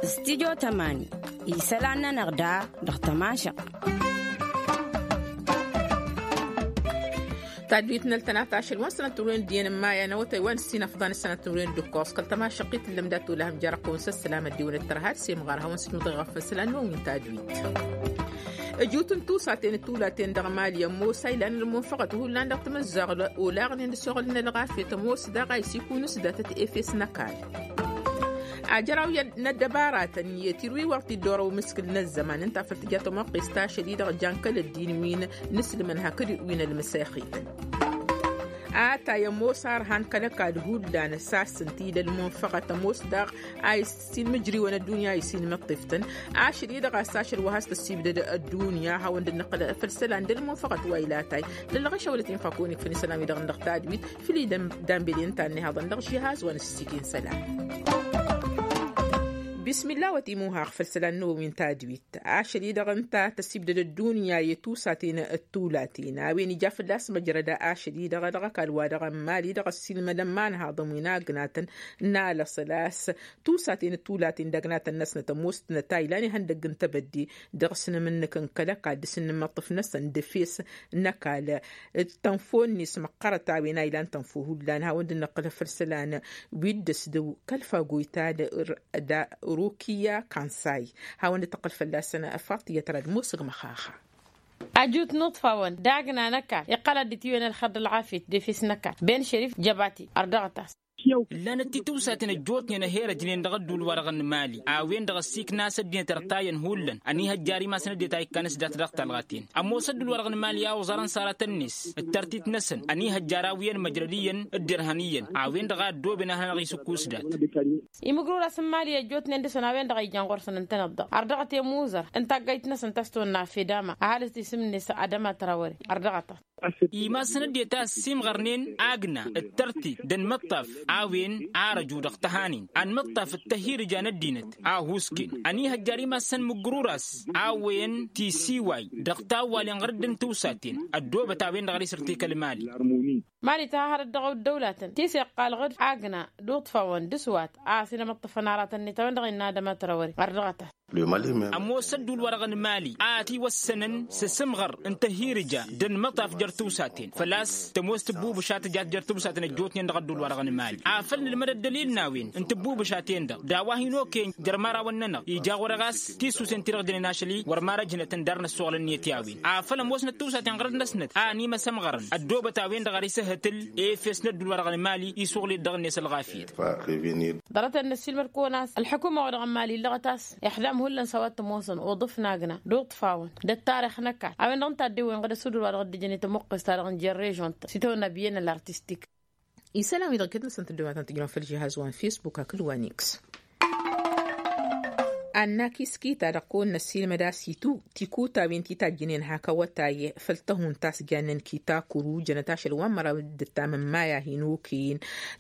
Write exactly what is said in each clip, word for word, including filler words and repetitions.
Studyo tămani isălan-nănăɣ da dăɣ-tămašăɣt. Tadwit n-ăltănat ašăl wa n-sănăt n-urwen d-iyyăn n-maya n-awătay wa n-ǝssin ăfḍan s-sănăt n-urwen d-ǝkkoẓ kăl-tămašăɣt-i tǝllăm dat-olăhăm jer-ăqqăwăn s-ăssalam ăddiwăn d-tărha d-semɣar hawăn-sǝjmǝḍ i-ɣăf n-isălan n-omin tadwit. Ăjut n-tusaten d-tulaten dăɣ-mali ămoos a ilan ălmunfăɣăt hullan dăɣ-timǝzzaɣ olaɣnen d-ăsoɣălăn ălɣafyăt ămoos daɣ a isikun s-datăt efes n-ăkall. Ajăraw n-ăddăbaratăn i-tirwiwăɣ ti dd-orăw mǝskǝl n-ăzzăman ǝnta făl tǝja tămoqqes tašăl-i-dăɣ jan kăl-ăddin wi n-ǝslǝmăn hakd wi n-ălmǝsexităn. Atay ămoos arhan kăl-ăkall hullan s-asǝnt-dd ălmunfăɣăt ămoos daɣ a isin mǝjriwăn ăddunya a isin mǝṭṭiftăn. Ašăl-i-dăɣ a-s ašăl wa has-tăssibdăd ăddunya hawăn-dd-nǝqqǝl făll-isălan d-ălmunfăɣăt wa ila atay lălɣăšăwălăt infakun ikfăn isălan-wi-dăɣ n-dăɣ tadwit făll-i dămbelin ta n-ihaḍăn dăɣ-žihaz wa n-ǝssikǝy n-isălan. Bismillah wa timuhaɣ făll-isălan n-omin tadwit. Ašăl-i-dăɣ ǝnta tăsibdăd ăddunya i-tusaten d-tulaten a-wen ija fălla-s măjrăd ašăl-i-dăɣ dăɣ-ăkall wa dăɣ-ămmal-i-dăɣ ăssiilmădăn imanhaḍăn wi n-agnatăn n-alăṣăl a-s tusaten d-tulaten d-agnatăn-năsnăt ămoosnăt a ilan ihăndăgg n-tebădde dăɣ-s n-amǝnnǝk n-kăl-ăkall dăɣ-s n-inǝmmăṭṭǝf-năsăn d-efes n-ăkall. Tănfo-net măqqărăt a-wen a ilan tănfo hullan hawăn-dd-nǝqqǝl făll-isălan wi dd-ăsdăw kăl-fagoyta d-rukiya kansay. Hawăn-dd-tǝqqǝl fălla-săn faṭiyăt rad musǝg măxaxa. Ajut n-uṭfawăn d-agna n-ăkall iqqăl ad-dd-tiwen ălxer d-ălɣafyăt d-efes n-ăkall ben šerif jăbati ărdăɣăt-as. Ǝllanăt titǝwsaten ăjjootnen ăherăjnen dăɣ-ădduul-wa-dăɣ n-mali a-wen-dăɣ ăssiikna a-s ăddinăt ărtayăn hullan ănihăjjar imasăn ăddinăt a ikkan s-dat dăɣ-talɣaten. Ămoos ădduul-wa-dăɣ n-mali a oẓărăn s-aratăn-net d-tărtit-năsăn ănihăjjar a-wi ănmăjrăd iyyăn d-irhăn iyyăn a-wen-dăɣ a ăddooben ad-hanăɣ-isǝkku s-dat. Imǝgrur-as n-mali ăjjootnen dăɣ-săn a-wen-dăɣ a ijăn ɣur-săn ǝntăneḍ-dăɣ ărdăɣăt i-ămuuzăr n-taggayt-năsăn ta s-tonna fedama ăhalǝs tisǝm-net adăma trawăre ărdăɣăt-as. Imassăn ăddinăt a ăssiimɣărnen agna d-tărtit d-anmǝṭṭaf a-wen arăju dăɣ-tăhanin anmǝṭṭaf d-tăhhirǝja n-ăddinăt a ăhuusken ănihăjjar imassăn mǝggǝrur-as a-wen tisiway dăɣ-tawwalen ɣur-dd n-tiwsaten. Ăddoobăt a-wen-dăɣ ad-isǝrtik ălmali. Mali tǝha hărăt dăɣ-ăddăwlatăn ti s-iqqal ɣǝd agna d-uṭfawăn d-aswat a ăsinămăṭṭăfăn aratăn-net a-wen-dăɣ innă adăma trawăre ărdăɣăt-as. Ămoos ădduul-wa-dăɣ n-mali a ătiwăssănăn s-asǝmɣăr n-tăhhirǝja d-ănmăṭṭaf jer-tiwsaten făl-a-s tămoos tǝbbubǝša tǝjat jer-tiwsaten ăjjootnen dăɣ-ădduul-wa-dăɣ n-mali. Afăl nǝlmăd ăddălil n-a-wen n-tǝbbubǝšaten-dăɣ d-a-wa hin-okăyăn jer-măraw-ănnănăɣ ija ɣur-e ɣas tisusen-ti-dăɣ jănen ašăl-i wăr marăjnătăn dar n-ăssoɣlăn-net i-a-wen afăl ămoosnăt tiwsaten ɣărăt-năsnăt a ănimăsămɣărăn ăddoobăt a-wen-dăɣ ar isǝhhǝtǝl efes n-ădduul-wa-dăɣ n-mali isuɣǝl-dd dăɣ-net ălɣafyăt. Ḍarăt-en n-ăssiilmăd-kăwăn a-s ălḥukuma-wa-dăɣ n-mali illăɣăt a-s ixdam hullan s-a-wa t-ămoosăn uḍǝf n-agna d-uṭṭfawăn d-ăttarix n-ăkall a-wen-dăɣ n-taddewwen ɣǝd ăsudǝl-wa-dăɣ dd-ǝjăn i-tămuqqest-ta-dăɣ n-jer-režon-tăn s-itawănna biyyăn ăllartistik. Isălan-wi-dăɣ iket-năsăn tăddomatăn tǝjrăwăn făll-žihaz wa n-fisbuk hakd wa n-iks. Annak iskita dăɣ-kăwăn-năssiilmăd a-s itu tikutawen ti tajjǝnen hak awătay făll-tăhunt ta s-jannen kita kuru jănăt ašăl wa n-măraw d-ǝttam n-maya hin-okăyăn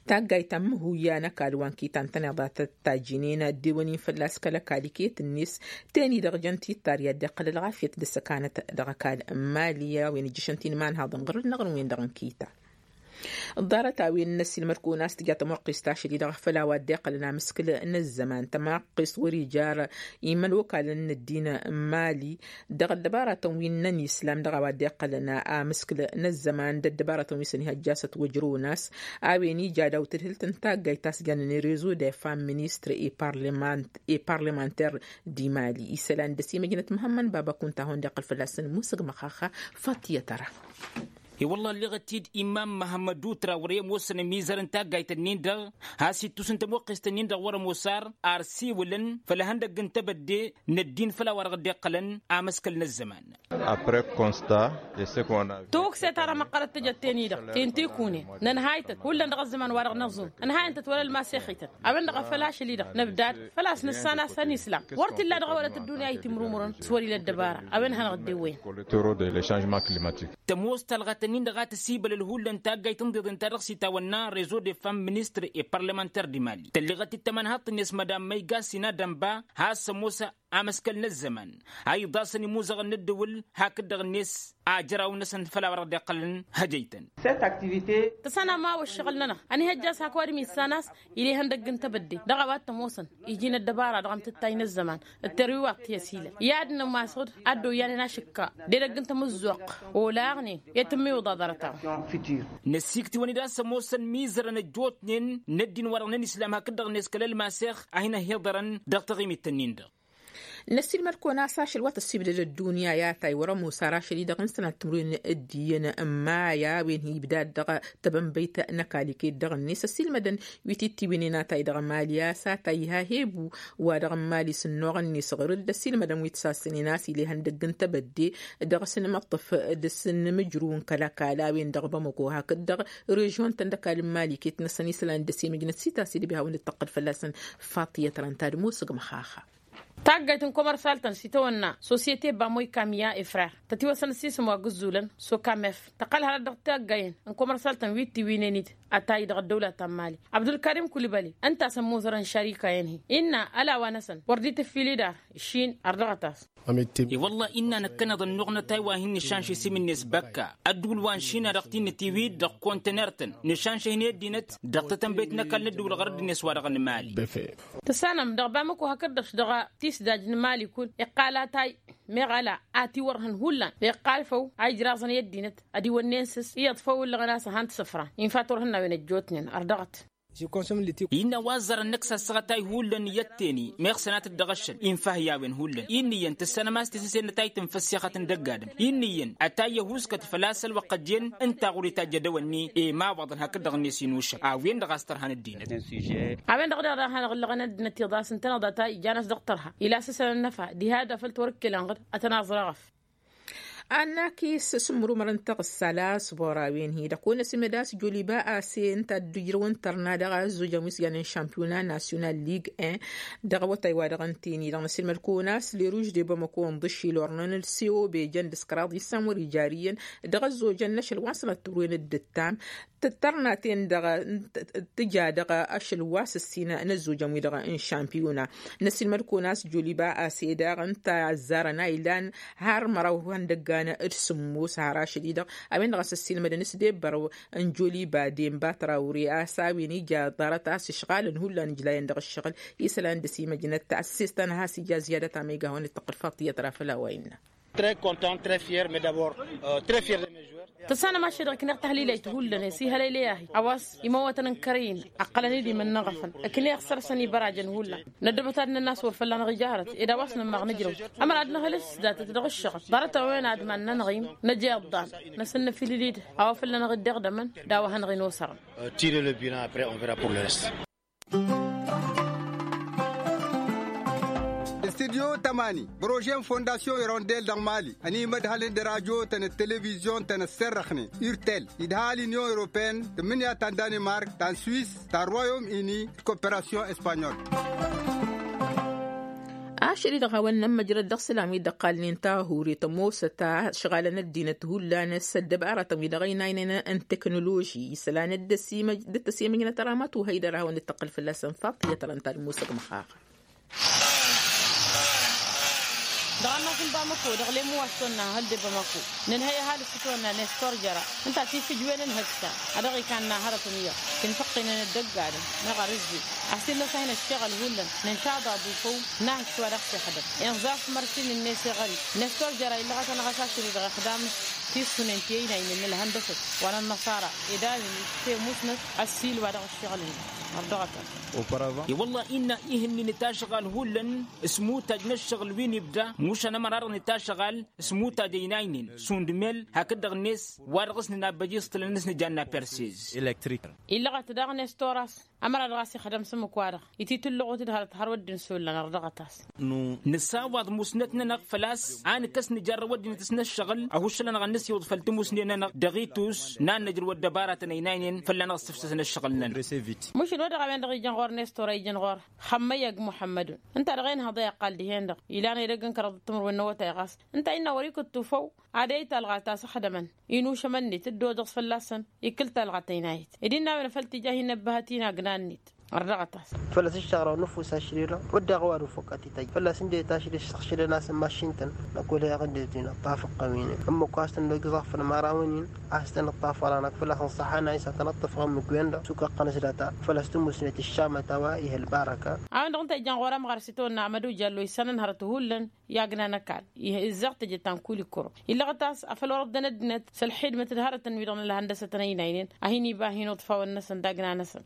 taggayt ta n-măhuya n-ăkall wa n-kita ǝntăneḍ a tăt-tajjǝnen ăddewăn-in fălla-s kăl-ăkall iket-net. Ten-i-dăɣ jăn tittar i-ad-dd-iqqăl ălɣafyăt d-ăssăkanăt dăɣ-ăkall n-mali a-wen ǝjjǝšăn ti n-imanhaḍăn ɣur-năɣ n-wen-dăɣ n-kita. Ḍarăt-a-wen n-ăssiilmăd-kăwăn a-s tǝja tămoqqest tašăl-i-dăɣ făll-a-wa dd-iqqălăn amǝskǝl n-ăzzăman tămaqqest wăr-ija ar imănokalăn n-ăddin n-mali dăɣ-ăddăbaratăn wi n-islam dăɣ-a-wa dd-iqqălăn amǝskǝl n-ăzzăman d-ăddăbaratăn wi s-ănihăjjasăt wăjrăwăn a-s a-wen ija daw-tǝdhǝlt n-taggayt ta s-jannen rezo de fam ministre e parlemanter di mali isălan d-ăsimăjnăt măhămmăn baba kunta a hawăn-dd-iqqăl fălla-săn musǝg măxaxa. Fattiyăt ara. I-wălla ălleɣăt-dd imam măhămmădu trawre ămoosăn ămizăr n-taggayt-nin-dăɣ has-ittus n-tămoqqest-nin-dăɣ wăr-ămoos ar ar siwǝlăn făll-ihăndăgg n-tebădde n-ăddin făll-a-wa-dăɣ dd-iqqălăn amăskăl n-ăzzăman. Après constat de ce qu'on a. Tokse-ta-dăɣ măqqărăt tǝjăt ten-i-dăɣ ten-tikunen nănhaytăt hullan dăɣ-ăzzăman-wa-dăɣ năẓun ǝnhayăn-tăt wăla ălmasexităn. A-wen-dăɣ a făl ašăl-i-dăɣ nǝbdad făl-a-s nǝssan a-s ănislam wăr t-illa dăɣ-ewălăt ăddunya a itimrumǝrăn s-wăr-ila ăddăbara. A-wen hanăɣ-dd-ewwăyăn. Tămoos talɣat-nin-dăɣ a tăsibălăl hullan taggayt n-iḍeḍen ta dăɣ-s itawănna rezo de fam ministre e parlemanter di mali tălleɣăt-dd tamănhaḍt-net madam măygasina dănba has-ămoos. amăskăl n-ăzzăman a iḍasăn imuzăɣăn n-ǝddǝwǝl hakd-dăɣ-net ajraw-năsăn făll-a-wa dăɣ-dd-iqqălăn hăjăytăn. Tăsănam a-wa ǝššăɣǝl-nănăɣ ănihăjja s-hak ăwadǝm issan a-s, il'-e ihăndăgg n-tebădde dăɣ-a-wa t-ămoosăn iji n-ăddăbara dăɣ-amtǝttay n-ăzzăman d-terwiwaḍt ti-ăsilăn i-ad-nămmasăɣ-dd ad-dd-oyyăn inašǝkka d-edăgg n-tamǝzzuɣt olaɣnen i-tǝmmiwǝḍa ḍarăt-a-wen. Năsiktǝwăn-dd a-s ămoosăn mizărăn ăjjootnen n-ăddin-wa-dăɣ n-ănislam hakd-dăɣ-net kăl-ălmasex a hin-ăhhiḍărăn dăɣ-taɣimit-tăn-in-dăɣ. Năssiilmăd-kăwăn a-s ašăl wa tăssibdăd ăddunya i-atay wăr-ămoos ar ašăl-i-dăɣ n-sănat timǝrwen d-iyyăn n-maya a-wen hi-ibdad dăɣ-tebănbăyt n-ăkall iket dăɣ-net ăssiilmădăn wi t-ittiwǝynen atay dăɣ-mali a-s atay iha hebu wa dăɣ-mali s-ănnuɣ-net ɣur-dd ăssiilmădăn wi t-sassănen a-s il'-e ihăndăgg n-tebădde dăɣ-s n-imǝṭṭǝf d-s n-imǝjrǝw n-kăl-ăkall a-wen dăɣ-bamăko hakd-dăɣ režion-tăn d-ăkall n-mali iket-năsăn isălan d-ăsimǝjnăt s-itased ăbihawăn d-tăqqǝl fălla-săn. Faṭiyăt răn tadǝm osǝgmăx a-ha. Taggayt n-komărsal-tăn s-itawănna sosyete bamoy kamiya efrer tătiwăsăn ăssiisǝm wa gǝzzulăn sokamef tăqqăl hărăt dăɣ-taggayen n-komărsal-tăn wi t-iwǝynen-dd atay dăɣ-ăddăwla ta n-mali abdulkarim kulibali ǝnta a-s ămmuzărăn šarika-en-hi innă ălawa-năsăn wăr dd-itǝffil idar. Ǝššin ărdăɣăt-as. E-wălla-hi innă năkkăneḍ ănnuɣ n-atay wa hin-nǝšanš isǝm-net băkka ăddǝwǝl wa n-šina dăɣ-t-in-nǝtiwǝy-dd dăɣ-kontener-tăn nǝšanš-hin i-ăddinăt dăɣ-tatănbăyt n-ăkall n-ăddǝwǝl ɣur-dd-net wa dăɣ-nǝmali. Tǝssanăm dăɣ-bamăko hakd-dăɣ dăɣ-tisdaj n-mali kull iqqal atay meɣ ala a tiwărhăn hullan iqqal făw a ijraẓăn i-ăddinăt ad-iwănnen s-s iyyăḍ făw ǝllăɣăn a-s ăhan tisǝfran infa turhǝnnawen ăjjootnen ărdăɣăt. Innă a-wa ăẓẓărăn năkk s-assăɣătay hullan iyyăt teni meɣ sănatăt dăɣ-ašăl infa hi-a-wen hullan. Inn'-iyyăn tǝssanăm a-s tisăse n-atay tǝnfăssexăt n-dăgg-adǝm inn'-iyyăn atay ăhuuskăt făl-a-s ălwăqq ăjjeen ǝnta ɣur-itajj edăwănni. Imawaḍăn hakd-dăɣ-net inušăɣ a-wen-dăɣ a-s tărha n-ăddinăt. A-wen-dăɣ daɣ daɣ hanăɣ-ǝllăɣăn ăddinăt iḍas ǝntăneḍ atay ijan-as dăɣ-tărha ila s-ăsăn ănnăfa diha da făll-tiwărkkelăn ɣǝd ad-tăn-aẓrăɣăf. Annakis s-ǝmmǝrumăr n-taɣǝssa la s-bora-wen-hi-dăɣ kăwăn-ăsimăd a-s joliba ase ǝnta a dd-ǝjrăwăn tărna dăɣ-a ăzzojăn wi s-jannen šampiyona nasyonal lig un dăɣ-awătay wa dăɣ-ǝnta-en-i-dăɣ năsilmăd kăwăn-as leruž de bamăko ǝnḍǝššil ornăn-dd s-e-obe jăn d-s kăraḍ issan wăr-ijar iyyăn dăɣ-ăzzojăn n-ašăl wa n-sănat timǝrwen d-ǝttam. Tǝttărna-ten-dăɣ tǝja dăɣ-ašăl wa s-ǝssin n-ăzzojăn-wi-dăɣ n-šampiyona. Năsilmăd-kăwăn a-s joliba ase daɣ ǝnta ăzzarăn a ilan har măraw ihăndăggan d-sǝmmos har ašăl-i-dăɣ a-wen-dăɣ a-s ăssiilmădăn s-debbărăw n-joliba denba trawre a-s a-wen ija ḍarăt a-s ǝšɣalăn hullan ǝjlayăn dăɣ-ǝššăɣǝl isălan dăr-s imăjnăt ta ăssestan a has-ija ziyadăt a ma iga hawăn-dd-tăqqǝl faṭiyăt ra făll-a-wa innă. Très content, très fier, mais d'abord très fier de mes joueurs. Tăssanăm ašăl-i-dăɣ ǝkneɣ tahlilayt hullan i-ăsihălăylăy-ahi a-wa s-imăwwătăn n-kărăy-in ăqqălăn-dd imǝnnăɣăfăn. Ǝkneɣ săr-săn ibărajăn hullan. Năddăbăt ad-nănn a-s wăr fălla-năɣ ija hărăt ed a-wa s-nămmaɣ nǝjrăw ămăra ad-năhǝlǝs s-datăt dăɣ-ǝššăɣǝl ḍarăt-a-wen ad-iman-nănăɣ-in năj iḍḍan. Năsǝnnăfilǝl-dd a-wa fălla-năɣ dd-iɣdămăn d-a-wa hanăɣ-in-osărăn. Tirer le but après on verra pour le reste. Studyo tămani, projet n-fondasyon irondel dăɣ-mali ănimădhălăn d-radyo-tăn d-televizyon-tăn ăssărrăxnen urtel idha l-inyon europeyăn tǝmmǝnǝya ta n-danimark ta n-swis ta n-royom ini d-koperasyon espanyol. Ašăl-i-dăɣ hawăn-nămmăjrăd dăɣ-isălan wi dd-ăqqalnen tahuri tămoosăt a ǝšɣalăn ăddinăt hullan s-ăddăbaratăn wi dăɣ-ăynaynen n-teknoloži isălan dd-ăsimăjnăt ăramatu hăydăr a hawăn-dd-tăqqǝl fălla-săn faṭiyăt ărăn ta d-musăg măxaxa. Dăɣ-annas n-bamăko dăɣ-lemu wa s-tonna hăl de bamăko nǝnhăy ăhalǝs s-tonna nestor jăra ǝnta tifǝjwen n-hǝksa a dăɣ-ikanna hărăt n-iyyăḍ. Kinfăqqinen ăddăgg-adǝm meɣ arǝzzi a-s innă s-a hin-ăššăɣǝl hullan nǝnšaḍ aḍu făw n-ahǝks wa dăɣ-s ixdăm inẓaf mărsin-net iɣări. Nestor jăra illăɣăt-anăɣ a-s ašăl-i-dăɣ ixdam-s tissunen ti ăynaynen n-ălhăndăsăt wa n-ănnăṣara ed a-wen ite musnăt ăssiil wa dăɣ-ăššăɣǝl-net. Ărdăɣăt-as. I-wălla-hi innă ihǝnnin itašɣal hullan s-imutaj n-ăššăɣǝl wi n-ibda mušan ămăra-dăɣ n-itašɣal s-imutaj ăynaynen šund mel hakd-dăɣ-net wa dăɣ-s nǝnabbăj iẓtǝlăn s-nǝjanna persez. Illăɣăt daɣ nestoras ămăra-dăɣ a-s ixdăm s-ǝmmǝk-wa-dăɣ ititǝllăɣut-dd hărăt har wădden s-ollan ărdăɣăt-as. Nǝsawaḍ musnăt-nănăɣ făl-a-s a nǝkkăs nǝjarrăw ăddinăt s-năššăɣǝl ăhuššăl-anăɣ ad-nǝsyǝwǝḍ făll-timusnen-nănăɣ dăɣ-itus n-ad-nǝjrǝw ăddăbaratăn ăynaynen fălla-năɣ s-tǝfsǝs năššăɣǝl-nănăɣ. Mušǝl wa dăɣ-a-wen-dăɣ ijăn ɣur-nestor a ijăn ɣur-xămmăyăg muḥămmădun ǝnta-dăɣ enhăḍ a iqqal dihen-dăɣ ilan edăgg n-kăraḍăt timǝrwen n-awătay ɣas ǝnta a innă wăr-ikǝttu făw ad-eyt alɣa ta s-ǝxdămăn inušăm-net dd-odăɣ s-fălla-săn. Ikǝl talɣa tăynayet ed innă a-wen făl tija hin-năbbăhăt inagna-net. Ărdăɣăt-as. Făl-a-s ǝššăɣrăw nǝfus ašri-dăɣ wădden a-wa d-ufăqqăt ităjj făl-a-s ǝndeta ašri-dăɣ săɣšǝdăn-as n-mašin-tăn. Năkk wăla iɣǝndetăn ăṭṭaf ǝqqăm-in ǝmmǝk wa s-tăn-dd-ăgg iẓafăn imărawăn-in a-s tăn-ǝṭṭaf wăla năkk făl-a-s ănṣăḥan a isatăn ăṭṭăfăɣ ǝmmǝk-wen-dăɣ s-ukăqqăn s-data făl-a-s tǝmmusnet ǝššamăt a-wa ih' ălbarăka. A-wen-dăɣ ǝnta ijăn ɣur-amɣăr s-itawănna amăduja ălloysanăn hărăt hullan i-agna n-ăkall. Ih' ǝzzeɣ tejăt ta n-kulikuro illăɣăt a-s afăl wăr-ăddăn ăddinăt s-ălxidmăt d-hărătăn-wi-dăɣ n-ălhăndăsăt n-ăynaynen a hin-iba hin-uḍfawăn-năsăn d-agna-năsăn.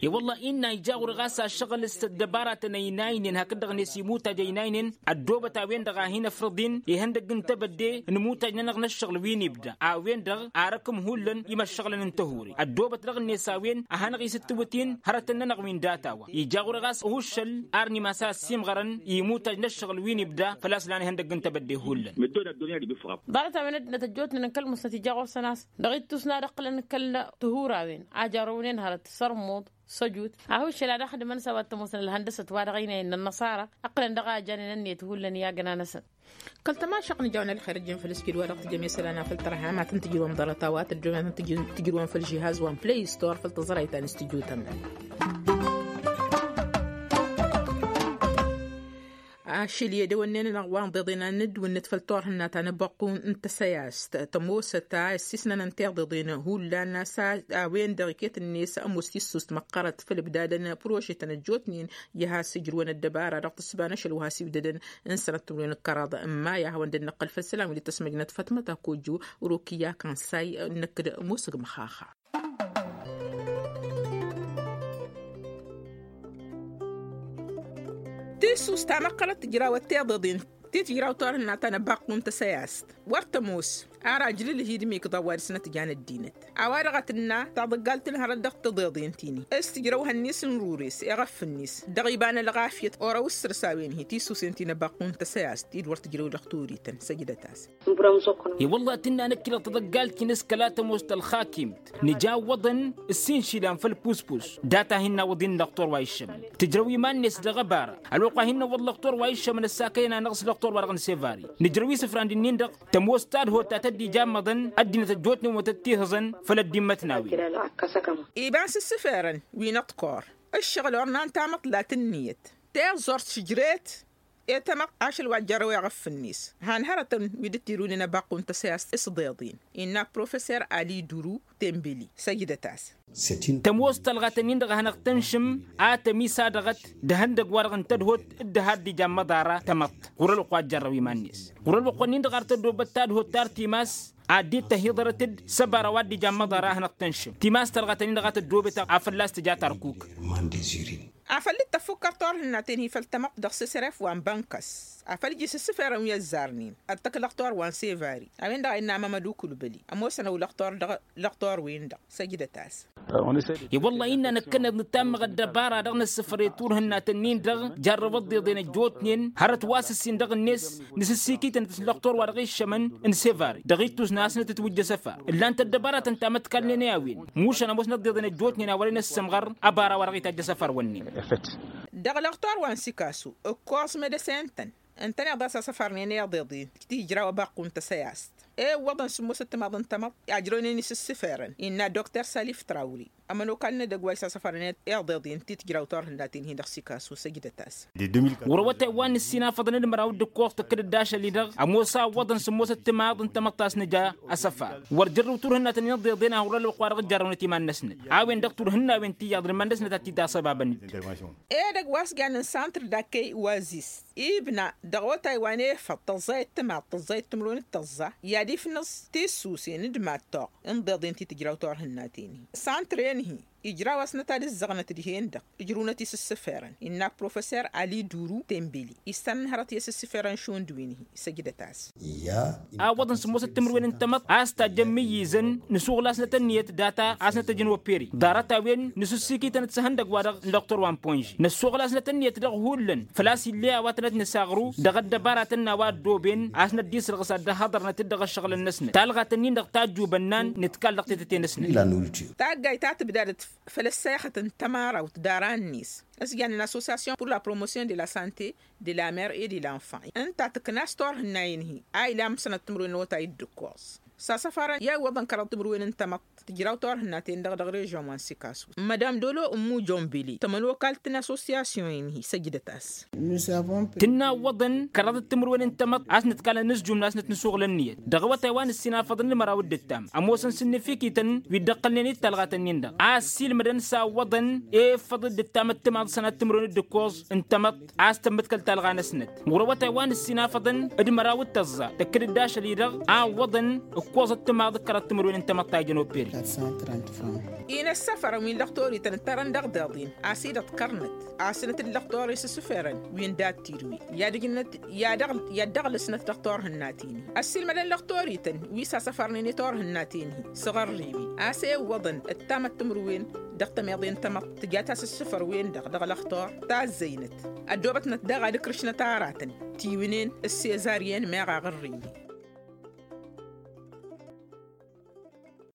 I-wălla-i innă ija ɣur-e ɣas ašăɣǝl s-ăddăbaratăn ăynaynen hakd-dăɣ-net imutaj ăynaynen ăddoobăt a-wen-dăɣ a hin-ăfrăḍ-in ihăndăgg n-tebădde n-imutaj-nănăɣ n-ăššăɣǝl wi n-ibda a-wen-dăɣ arăkm hullan imăššăɣǝlăn n-tăhuri ăddoobăt dăɣ-net a-wen a hanăɣ-isǝttǝwǝt-in hărătăn-nănăɣ wi n-data-wa. Ija ɣur-e ɣas uhuššăl ar n-imas a ăssiimɣărăn imutaj n-ăššăɣǝl wi n-ibda făl-a-s lan ihăndăgg n-tebădde hullan. Ḍarăt-a-wen ăddinăt ăjjootnen n-kăl-musnăt ija ɣur-săn a-s dăɣ-ittus n-ad-ăqqǝlăn kăl-tihurawen a jarrăwnen hărăt sărmuḍ s-ăjut. Ahuššăl ad-ăxdǝmăn s-a-wa t-ămoosăn ălhăndăsăt wa dăɣ-ăynayăn n-ănnăṣara ăqqǝlăn dăɣ-a janen ănniyăt hullan i-agna-năsăn. Kăl-tămašăɣt n-ijawăn ălxer ǝjjǝn făll-s kid-wa-dăɣ tǝjjăm i-isălan a făl tărha ma tăn-tǝjrǝwăm ḍarăt-a-wa tǝjrǝwăm făll-žihaz wa n-play store făll-tăẓrayt ta n-s tǝjutăm. Ašăl i-edăwănnen-anăɣ wa n-iḍeḍen a nǝdwǝnnǝt făll-turhǝnna ta n-abăqqu n-tăsăyast tămoosăt a ăssiisnănăn tiḍeḍen hullan a-s a-wen-dăɣ iket-net ămoos tissust măqqărăt făll-ǝbdadăn prožetăn ăjjootnen i-has-ǝjrǝwăn ăddăbara dăɣ-tǝssǝba n-ašăl wa has-iwdădăn n-sănăt timǝrwen d-kăraḍ. N-maya a hawăn-dd-năqqăl făll-isălan wi dd-tăsmăjnăt fătmăt akojo rokiya kansay. Năkk d-musǝg măxaxa. Tissust ta măqqărăt tǝjrawăt tiḍeḍen ti tǝjraw turhǝnna ta n-abăqqu n-tăsăyast wăr tămoos. Ar ajlǝlh-i d-imikḍa wa dăɣ-s nătjan ăddinăt a-wa-dăɣ a tǝnna taḍǝggalt n-hărăt dăɣ-tiḍeḍen ti-ni s-tǝjrăw hănnis n-rures iɣăf-net dăɣ-iba n-ălɣafyăt orăw s-săr-s a-wen-hi tisusen ti n-abăqqu n-tăsăyast ti d-wăr tǝjrăw dăɣ-torităn săjdăt-as. I-wălla-hi tǝnna năkk-i-dăɣ taḍăggalt-in s-kăla tămoos tălxakimt nǝja iwwăḍăn ǝssin išilan făll-puspus data hin-nawăḍ-in lăqtor wa iššămăn tǝjrăw iman-net dăɣ-ăbara ălwăqq wa hin-năwwăḍ lăqtor wa iššămăn ăssakăyăn-anăɣ s-lăqtor-wa-dăɣ n-sevari. Nǝjrăw isǝfran d-ǝnnin-dăɣ tămoos tadhot ta tăddijammăḍăn ăddinăt ăjjootnen wa tăt-tihǝẓăn făll-ăddimmătnawen. Iba n-sǝssǝferăn wi n-aḍkor ǝššăɣǝl ornan tamăḍt la tǝnniyăt tiẓẓurt šǝjret i-tamăḍt ašăl wa ăjjărrăw i-aɣăf-net han hărătăn wi dd-tirunen abăqqu n-tăsăyast s-iḍeḍen innă professor ali duru tembeli săjdăt-as. Tămoos talɣat-ǝnnin-dăɣ a hanăɣ-tănšǝm a tămisa dăɣ-t d-ihăndăgg-wa-dăɣ n-tadhot d-ha dd-ija n-imăḍara tamăḍt ɣur-ălwăqq wa ăjjărrăw iman-net ɣur-ălwăqq-wa-nin-dăɣ ar tăddoobăt tadhot ta ăr timas ad-dd-tăhiḍărăt-dd s-ăbara wa dd-ija n-imăḍara a hanăɣ-tănšǝm timas talɣat-ǝnnin-dăɣ a tăddoobet a fălla-s tǝja tarkuk. Afăl dd-tăffukkăr turhǝnna-ten-hi făll-tamăḍt dăɣ-sesref wa n-bănkăs afăl iji s-ǝssǝferăn wi ăzzarnen ăttăk lăqtor wa n-sevari a-wen-dăɣ a innă amămăd ukulbăli ămoosăn ăwlăqtor dăɣ-lăqtor-wen-dăɣ. Săjdăt-as. I-wălla-hi innă năkkăneḍ nǝtammăɣ ăddăbara dăɣ-nǝssǝfăr i-turhǝnna-tăn-in-dăɣ jarrăw ăḍḍeḍen ăjjootnen hărăt wa s-ǝssin dăɣ-net nǝsǝssikităn-t s-lăqtor wa dăɣ-iššămăn n-sevari dăɣ-ittus n-asnăt ǝtwǝjj asăfar ǝllan-t ăddăbaratăn ta mătkalnen i-a-wen mušan ămoosnăt ăḍḍeḍen ăjjootnen a wăren ăssămɣăr ăbara wa dăɣ-itajj asăfar-wǝnnin. Dăɣ-lăqtor wa n-sikasu ǝkkoẓ medăsen-tăn ǝntăneḍ a-s asăfărnen i-iḍeḍen ti ijraw abăqqu n-tăsăyast i-iwwăḍăn sǝmmosăt timaḍ n-tamăḍt ajrăwnen isǝssǝferăn innă dokter salif trawri ămănokal n-edăgg wa isasăfărnen i-iḍeḍen ti tǝjraw turhǝnnaten-hi dăɣ-sikasu săjdăt-as. Ɣur-awătay wa n-ǝssin afăḍăn d-măraw d-ǝkkoẓ tǝkkǝd-dd ašăl-i-dăɣ ămoos a ǝwwăḍăn sǝmmosăt timaḍ n-tamăḍt a-s nǝja asăfar wăr jărrǝw turhǝnnaten i-iḍeḍen a hurra ălwăqq-wa-dăɣ ǝjjarrăwnăt iman-năsnăt a-wen-dăɣ turhǝnnawen ti iyyăḍ n-iman-năsnăt ad-t-dd-asăbabăn-dd. Edăgg wa s-jannen santr d-akkăy wazis ibna dăɣ-otay wa n-efăḍ tăẓẓayăt timaḍ tăẓẓayăt timǝrwen d-tăẓẓa i-ad-ifnǝẓ tissusen d-mad-toɣ n-iḍeḍen ti tǝjraw turhǝnnaten-hi santr-en-hi ijraw-asnăt ad-ǝzzăɣnăt dihen-dăɣ ǝjrǝwnăt isǝssǝferăn innă professor ali duru tembeli issăn n-hărăt i-asǝssǝferăn šund wi n-hi săjdăt-as. A ǝwwăḍăn sǝmmosăt timǝrwen n-tamăḍt a-s tajjăn imǝyyǝzăn nǝsuɣǝl-asnăt ǝnniyăt data a-s nătăjjăn operi ḍarăt-a-wen nǝsǝssikităn-dd s-ihăndăgg-wa-dăɣ n-lăqtor wa n-ponži năssuɣǝl-asnăt ǝnniyăt dăɣ-hullan făl-a-s ill'-e a-wa tănăt-nǝsaɣru dăɣ-ăddăbaratăn n-a-wa ăddooben a-s năddiisrăɣǝs ad-dd-ăhhăḍărnăt-dd dăɣ-ăššăɣǝlăn-năsnăt talɣat-ǝnnin-dăɣ tajjubănnan nǝtkal dăɣ-tetăte-năsnăt. Taggayt ta tǝbdadăt făll-ăssayăxăt n-tămarawt d-ara-net s-jannen association pour la promotion de la sante de la mer et de l'enfant ǝnta tǝkna s-turhǝnnayen-hi a ilam sănăt timǝrwen n-awătay d-ǝkkoẓ. s-asăfarăn i-a iwwăḍăn kăraḍ timǝrwen n-tamăḍt tǝjraw turhǝnnaten-dăɣ dăɣ-režon wa n-sikasu. Mădam dolo ǝmmu jonbili tămănokalt n-asosiyasyon-in-hi săjdăt-as. Tǝnna ǝwwăḍăn kăraḍăt timǝrwen n-tamăḍt a-s nǝtkalăn n-asjum n-asnăt n-asuɣǝl ǝnniyăt dăɣ-awătay wa nǝssinafăḍăn d-măraw d-ǝttam ămoosăn s-ǝnnǝfikităn wi dd-ǝqqǝlnen i-d talɣat-ǝnnin-dăɣ a ăssiilmădăn s-a ǝwwăḍăn efăḍ d-ǝttam ăttămaḍ sănat timǝrwen d-ǝkkoẓ n-tamăḍt a-s tămmǝtkăl talɣa-năsnăt ɣur-awătay wa nǝssinafăḍăn d-măraw d-tăẓẓa tǝkkǝd-dd ašăl-i-dăɣ a ǝwwăḍăn ǝkkoẓ ăttămaḍ d-kăraḍ timǝrwen n-tamăḍt ta ijăn operi. Inăssăfărăn wi n-lăxtorităn ǝttărăn dăɣ-deḍen a-s idăḍkărnăt asnăt d-lăxtor isǝssǝferăn wi n-dattidwi i-ad-ǝjnăt i-ad-ăɣlǝsnăt dăɣ-turhǝnnaten-hi ăssiilmădăn lăxtorităn wi s-asăfărnen i-turhǝnnaten-hi s-aɣărriwi a-s ewwăḍăn ǝttamăt timǝrwen dăɣ-tămeḍe n-tamăḍt tǝja tasǝssǝfăr-wen-dăɣ dăɣ-lăxtor tazzăynăt ăddoobătnăt daɣ ad-ǝkrǝšnăt aratăn tiwǝnen s-sezaryen meɣ aɣărriwi.